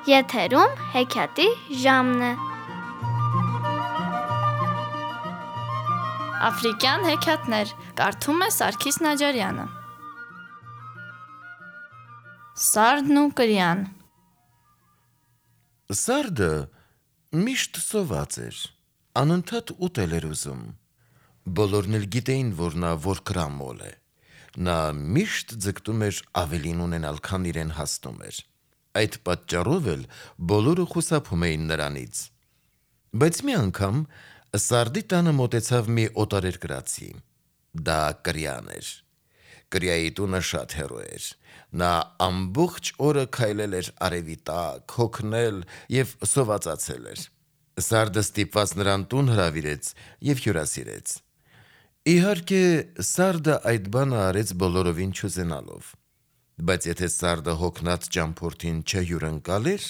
Եթերում հեքիաթի ժամն է։ Աֆրիկյան հեքիաթներ կարդում է Սարգիս Նաջարյանը։ Սարդն ու կրյան։ Սարդը միշտ սոված էր, անընդհատ ուտել էր ուզում։ Բոլորն էլ գիտեին, որ նա որքրամոլ է։ Նա միշտ ձգտում էր ավելին ունենալ, քան իրեն հասնում էր։ Այդ պատճառով էլ բոլորը խուսափում էին նրանից։ Բայց մի անգամ Սարդի տանը մոտեցավ մի օտարերկրացի։ Դա կրյան էր։ Կրյայի տունը շատ հեռու էր։ Նա ամբողջ օրը քայլել էր արևի տակ, հոգնել և սովածացել էր։ Սարդը ստիպված նրան տուն հրավիրեց և հյուրասիրեց։ Իհարկե, Սարդը այդ բանը արեց բոլորովին չուզենալով։ Բայց եթե Սարդը հոգնած ճամփորդին չհյուրընկալեր,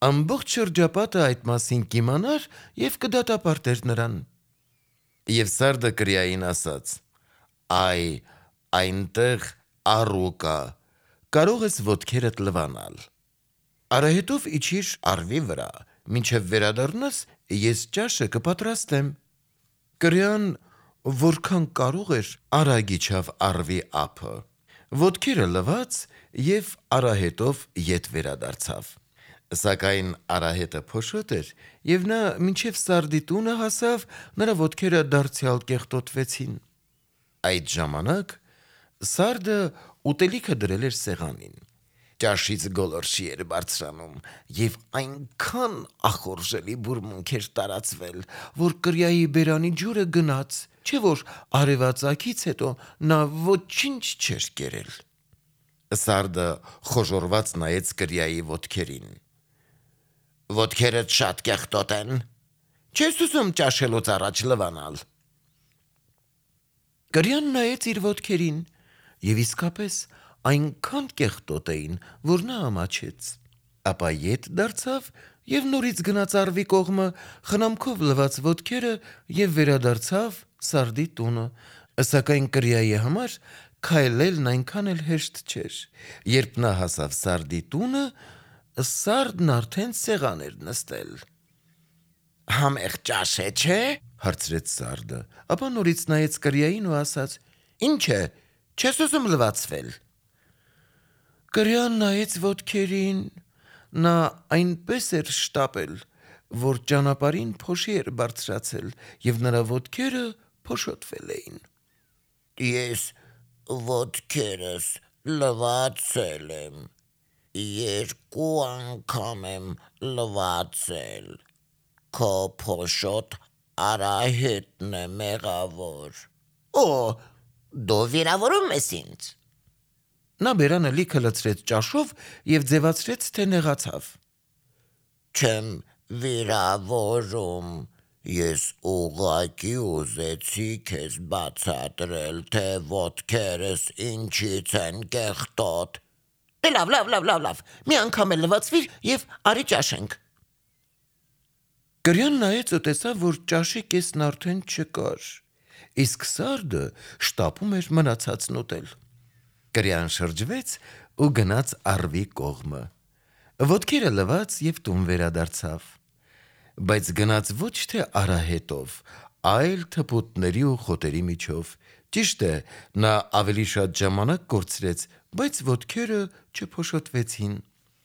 ամբողջ շրջապատը այդ մասին կիմանար և կդատապարտեր նրան։ Եվ Սարդը կրյային ասաց. «Այ, այնտեղ առու կա, կարող ես ոտքերդ լվանալ։ Արահետով իջիր առվի վրա, մինչև վերադառնաս, ես ճաշը կպատրաստեմ»։ Կրյան, որքան կարող էր, արագ իջավ առվի ափը, ոտքերը լվաց և արահետով ետ վերադարձավ։ Սակայն արահետը փոշոտ էր, և նա մինչև Սարդի տունը հասավ, նրա ոտքերը դարձյալ կեղտոտվեցին։ Այդ ժամանակ Սարդը ուտելիքը դրել էր սեղանին։ Ճաշից գոլորշի էր բարձրանում, և այնքան ախորժելի բուրմունք էր տարածվել, որ կրյայի բերանի ջուրը գնաց, չէ որ արևածագից հետո նա ոչինչ չէր կերել։ Սարդը խոժոռված նայեց կրյայի ոտքերին։ «Ոտքերդ շատ կեղտոտ են, չես ուզում ճաշելուց առաջ լվանալ»։ Կրյան նայեց իր ոտքերին, և իսկապես այնքան կեղտոտ էին, որ նա ամաչեց։ Ապա ետ դարձավ և նորից գնաց առվի կողմը, խնամքով լվաց ոտքերը և վերադարձավ Սարդի տունը։ Սակայն կրյայի համար քայլելն այնքան էլ հեշտ չէր։ Երբ նա հասավ Սարդի տունը, Սարդն արդեն սեղան էր նստել։ «Համեղ ճաշ է, չէ՞», հարցրեց Սարդը, ապա նորից նայեց կրյային ու ասաց. «Ինչ է, չես ուզում լվացվել»։ Կրյան նայեց ոտքերին։ Նա այնպես էր շտապել, որ ճանապարհին փոշի էր բարձրացել, և նրա ոտքերը փոշոտվել էին։ «Ես ոտքերս լվացել եմ, 2 անգամ եմ լվացել, քո փոշոտ արահետն է մեղավոր»։ «Օ, դու վիրավորում ես ինձ»։ Նա բերանը լիքը լցրեց ճաշով և ձևացրեց, թե նեղացավ։ «Չեմ վիրավորում, ես ուղղակի ուզեցի քեզ բացատրել, թե ոտքերս ինչից են կեղտոտ»։ «Դե լավ, մի անգամ էլ լվացվիր և արի ճաշենք»։ Կրյան նայեց ու տեսավ, որ ճաշի կեսն արդեն չկար, իսկ Սարդը շտապում էր մնացածն ուտել։ Կրյան շրջվեց ու գնաց առվի կողմը։ Ոտքերը լվաց և տուն վերադարձավ։ Բայց գնաց ոչ թե արահետով, այլ թփուտների ու խոտերի միջով։ Ճիշտ է, նա ավելի շատ ժամանակ կորցրեց, բայց ոտքերը չփոշոտվեցին։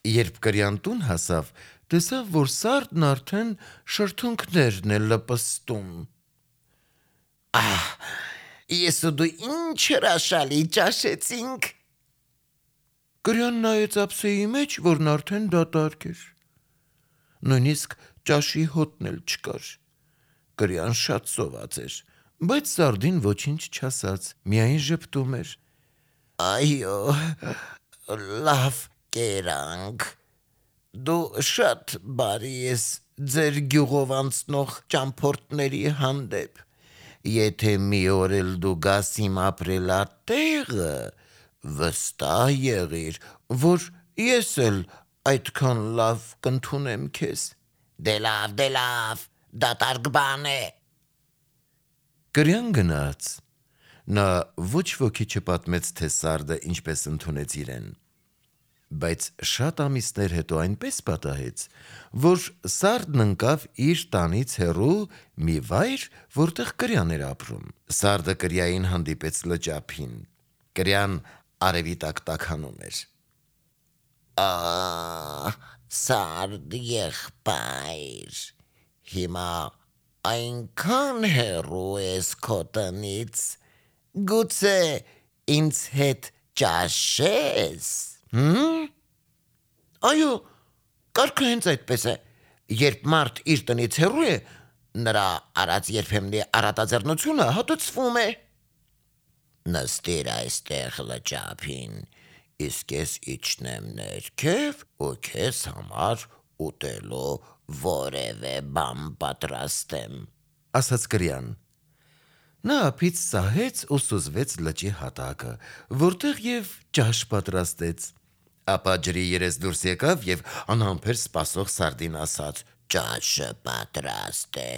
Երբ կրյան տուն հասավ, տեսավ, որ Սարդն արդեն շրթունքներն է լպստում։ «Ահ, ես ու դու ինչ հրաշալի ճաշեցինք»։ Կրյան նայեց ափսեի մեջ, որն արդեն դատարկ էր։ Նույնիսկ ճաշի հոտն էլ չկար։ Կրյան շատ սոված էր, բայց Սարդին ոչինչ չասաց, միայն ժպտում էր։ «Այո, լավ կերանք, դու շատ բարի ես ձեր գյուղով անցնող ճամփորդների հանդեպ։ Եթե մի օր էլ դու գաս իմ ապրելատեղը, վստահ եղիր, որ ես էլ այդքան լավ կընդունեմ քեզ»։ Դե լավ, դատարկ բան է։ Կրյան գնաց։ Նա ոչ ոքի չպատմեց, թե Սարդը ինչպես ընդունեց իրեն։ բայց շատ ամիսներ հետո այնպես պատահեց, որ Սարդն ընկավ իր տանից հեռու մի վայր, որտեղ Կրյան էր ապրում։ Սարդը Կրյային հանդիպեց լճափին։ Կրյան արևի տակ տաքանում էր։ Սարդ եղբայր, հիմա այնքան հեռու ես քո տնից, գուցե ինձ հետ ճաշես։ Այո, կարգը հենց այդպես է։ Երբ մարդ իր տնից հեռու է, նրա արած երբեմնի առատաձեռնությունը հատուցվում է։ Նստիր այստեղ լճափին, իսկ ես իջնեմ ներքև ու քեզ համար ուտելու որևէ բան պատրաստեմ, ասաց Կրյան։ Նա ափից սահեց ու սուզվեց լճի հատակը, որտեղ և ճաշ պատրաստեց։ Ապա ջրի երես դուրս եկավ և անհամբեր սպասող Սարդին ասաց. ճաշը պատրաստ է,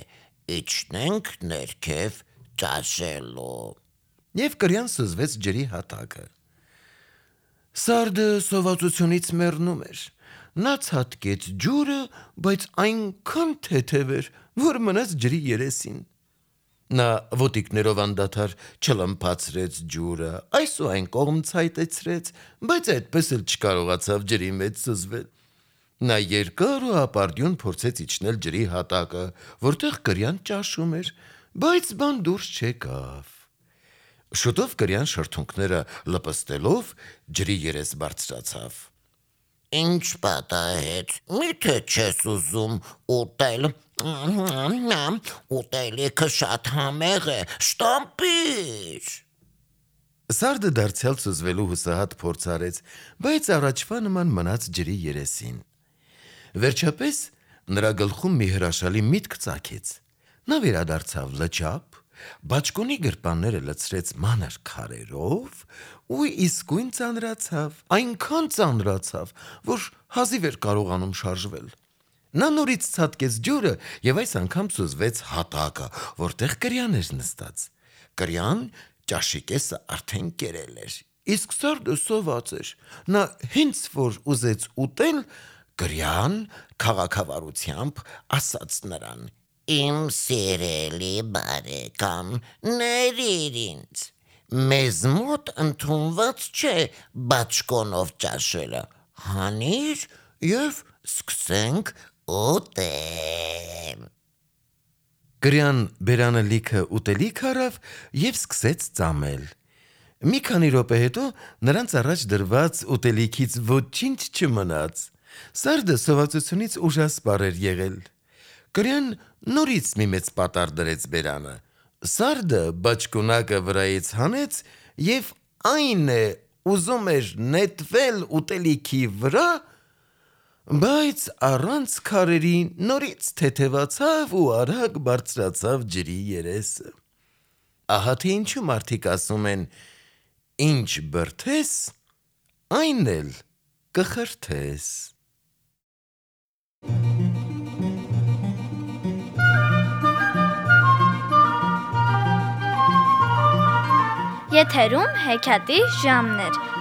իջնենք ներքև ճաշելու։ Եվ Կրյան սուզվեց ջրի հատակը։ Սարդը սովածությունից մեռնում էր։ Նա ցատկեց ջուրը, բայց այնքան թեթև էր, որ մնաց ջրի երեսին։ Նա ոտիկներով անդադար չլմփացրեց ջուրը, այս ու այն կողմ ցայտեցրեց, բայց այդպես էլ չկարողացավ ջրի մեջ սուզվել։ Նա երկար ու ապարդյուն փորձեց իջնել ջրի հատակը, որտեղ Կրյան ճաշում էր, բայց բան դուրս չեկավ։ Շուտով Կրյան շրթունքները լպստելով ջրի երես բարձրացավ։ Ինչ պատահեց, միթե չես ուզում ուտել, ուտելիքը շատ համեղ է, շտապիր։ Սարդը դարձյալ սուզվելու հուսահատ փորձ արեց, բայց առաջվա նման մնաց ջրի երեսին։ Վերջապես նրա գլխում մի հրաշալի միտք ծագեց։ Նա վերադարձավ լճափ, բաճկոնի գրպանները լցրեց մանր քարերով ու իսկույն ծանրացավ, այնքան ծանրացավ, որ հազիվ էր կարողանում շարժվել։ Նա նորից ցատկեց ջուրը և այս անգամ սուզվեց հատակը, որտեղ Կրյան էր նստած։ Կրյան ճաշի կեսը արդեն կերել էր, իսկ Սարդը սոված էր։ Նա հենց որ ուզեց ուտել, Կրյան քաղաքավարությամբ ասաց նրան. Իմ սիրելի բարեկամ, ներիր ինձ, մեզ մոտ ընդունված չէ բաճկոնով ճաշելը, հանիր և սկսենք ուտել։ Կրյան բերանը լիքը ուտելիք առավ և սկսեց ծամել։ Մի քանի րոպե հետո նրանց առաջ դրված ուտելիքից ոչինչ չմնաց։ Սարդը սովածությունից ուժասպառ էր եղել։ Կրյան նորից մի մեծ պատառ դրեց բերանը։ Սարդը բաճկոնակը վրայից հանեց և այն է ուզում էր նետվել ուտելիքի վրա, բայց առանց քարերի նորից թեթևացավ ու արագ բարձրացավ ջրի երեսը։ Ահա թե ինչու մարդիկ ասում են. ինչ բրդես, այն էլ կխրթես։ Եթերում հեքիաթի ժամն էր։